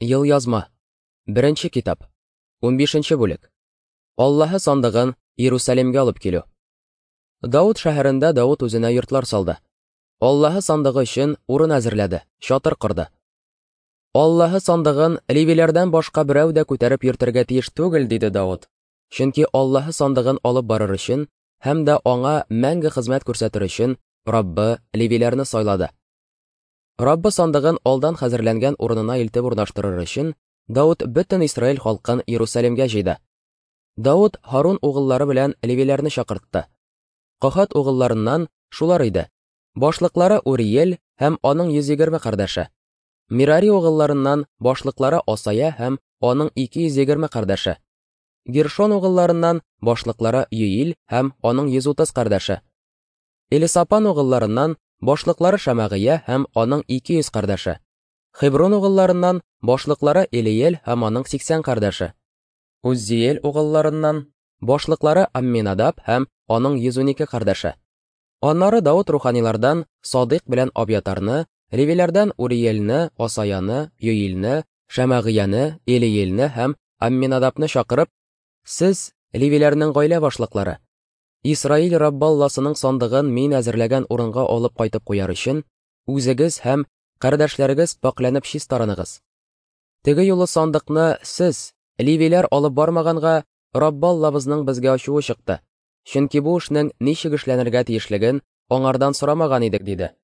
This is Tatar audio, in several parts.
Елъязма. Беренче китап. 15 бүлек. Аллаһы сандыгын Иерусалимгә алып килү. Давыт шәһәрендә Давыт үзенә йортлар салды. Аллаһы сандыгы өчен урын әзерләде, чатыр корды. Аллаһы сандыгын левиләрдән башка берәү дә күтәреп йөртергә тиеш түгел, диде Давыт. Чөнки Аллаһы сандыгын алып барыр өчен һәм дә аңа мәңге хезмәт күрсәтер өчен Раббы левиләрне сайлады. Раббы сандыгын алдан хәзерләнгән урынына илтеп урнаштырыр өчен, Давыт бөтен Исраил халкын Иерусалимгә җыйды. Давыт Һарун угыллары белән левиләрне чакыртты. Кахат угылларыннан шулар иде: башлыклары Уриел һәм аның 120 кардәше. Мирари угылларыннан башлыклары Асая һәм аның 220 кардәше. Гершон угылларыннан башлыклары Юил һәм аның 130 кардәше. Элисапан угылларыннан башлыклары Шамагыя һәм аның 200 кардәше. Хеброн угылларыннан башлыклары Элиел һәм аның 80 кардәше. Уззиел угылларыннан башлыклары Амминадаб һәм аның 112 кардәше. Аннары Давыт руханилардан Садыйк белән Абьятарны, левиләрдән Уриелне, Асаяны, Юилне, Шамагыяны, Элиелне һәм Амминадабны чакырып, "Сез левиләрнең гаилә башлыклары. Исраил Раббы Алласының сандыгын мин әзерләгән урынга алып кайтып куяр өчен, үзегез һәм кардәшләрегез пакьләнеп чистарыныгыз. Теге юлы сандыкны сез, левиләр, алып бармаганга, Раббы Аллабызның безгә ачуы чыкты. Чөнки бу эшнең ничек эшләнергә тиешлеген аңардан сорамаган идек, диде.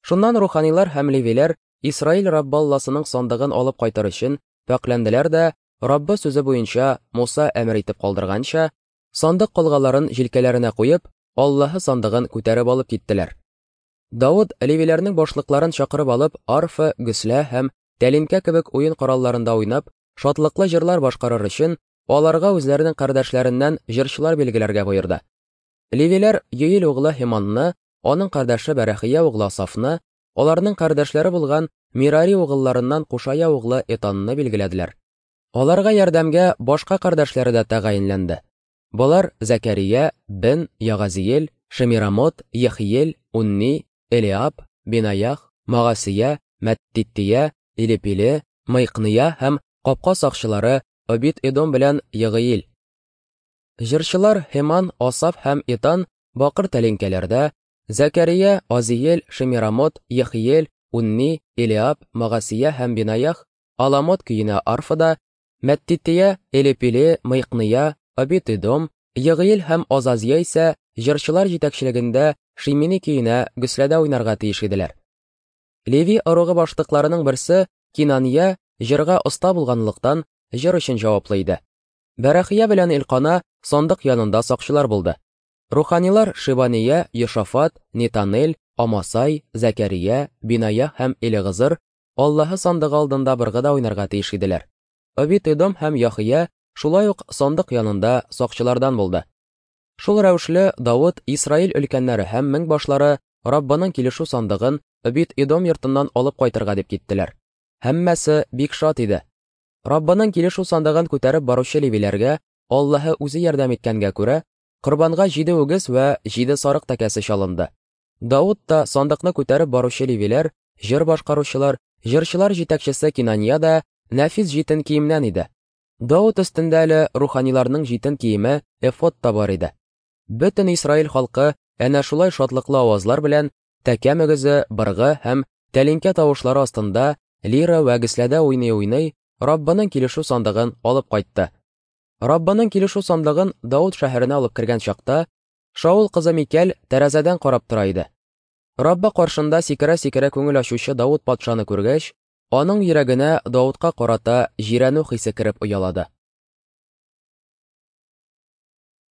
Шуннан руханилар һәм левиләр Исраил Раббы Алласының сандыгын алып кайтыр өчен пакьләнделәр дә, Раббы сүзе буенча Муса әмер итеп калдырганча, сандык колгаларын җилкәләренә куеп, Аллаһы сандыгын күтәреп алып киттеләр. Давыт левиләрнең башлыкларын чакырып алып, арфа, гөслә һәм тәлинкә кебек уен коралларында уйнап, шатлыклы җырлар башкарыр өчен, аларга үзләренең кардәшләреннән җырчылар билгеләргә боерды. Левиләр Йоил углы Һеманны, аның кардәше Бәрәхия углы Асафны, аларның кардәшләре булган Мирари угылларыннан Кушая углы Этанны билгеләделәр. Аларга ярдәмгә башка кардәшләре дә тәгаенләнде. Болар Зәкәрия, Бен, Ягазиел, Шемирамот, Ехиел, Унни, Элиаб, Бинаях, Магасия, Мәттиттия, Илепиле, Мыйкния һәм капка сакчылары Обид-Эдом белән Егыил. Җырчылар Һеман, Асаф һәм Итан бакыр тәлинкәләрдә, Зәкәрия, Азиел, Шемирамот, Ехиел, Унни, Элиаб, Магасия һәм Бинаях Аламот көенә арфада, Мәттития, Элепиле, Мыйкния, Обид-Эдом, Егыил һәм Азазия исә җырчылар җитәкчелегендә Шимини көенә гөсләдә уйнарга тиеш иделәр. Леви ыругы башлыкларының берсе Кинания җырга оста булганлыктан җыр өчен җаваплы иде. Бәрәхия белән Илкана сандык янында сакчылар булды. Руханилар Шибания, Йошафат, Нетанель, Амасай, Зәкәрия, Биная һәм Элегызыр Аллаһы сандыгы алдында быргыда уйнарга тиеш иделәр. Обид-Эдом һәм Яхия шулай ук сандык янында сакчылардан булды. Шул рәвешле Давыт, Исраил өлкәннәре һәм меңбашлары Раббының килешү сандыгын Обид-Эдом йортыннан алып кайтырга дип киттеләр. Һәммәсе бик шат иде. Раббының килешү сандыгын күтәреп баручы левиләргә Аллаһы үзе ярдәм иткәнгә күрә, корбанга 7 үгез вә 7 сарык тәкәсе чалынды. Давыт та сандыкны күтәреп баручы левиләр, җыр башкаручылар, җырчылар җитәкчесе Кинания да нәфис җитен киемнән иде. Давыт өстендә әле руханиларның җитен киеме эфод та бар иде. Бөтен Исраил халкы әнә шулай шатлыклы авазлар белән тәкә мөгезе, быргы һәм тәлинкә тавышлары астында лира вә гөсләдә уйный-уйный Раббының килешү сандыгын алып кайтты. Раббының килешү сандыгын Давыт шәһәренә алып кергән чакта, Шаул кызы Микәл тәрәзәдән карап тора иде. Раббы каршында сикерә-сикерә күңел ачучы Давыт патшаны күргәч, аның йөрәгенә Давытка карата җирәнү хисе кереп оялады.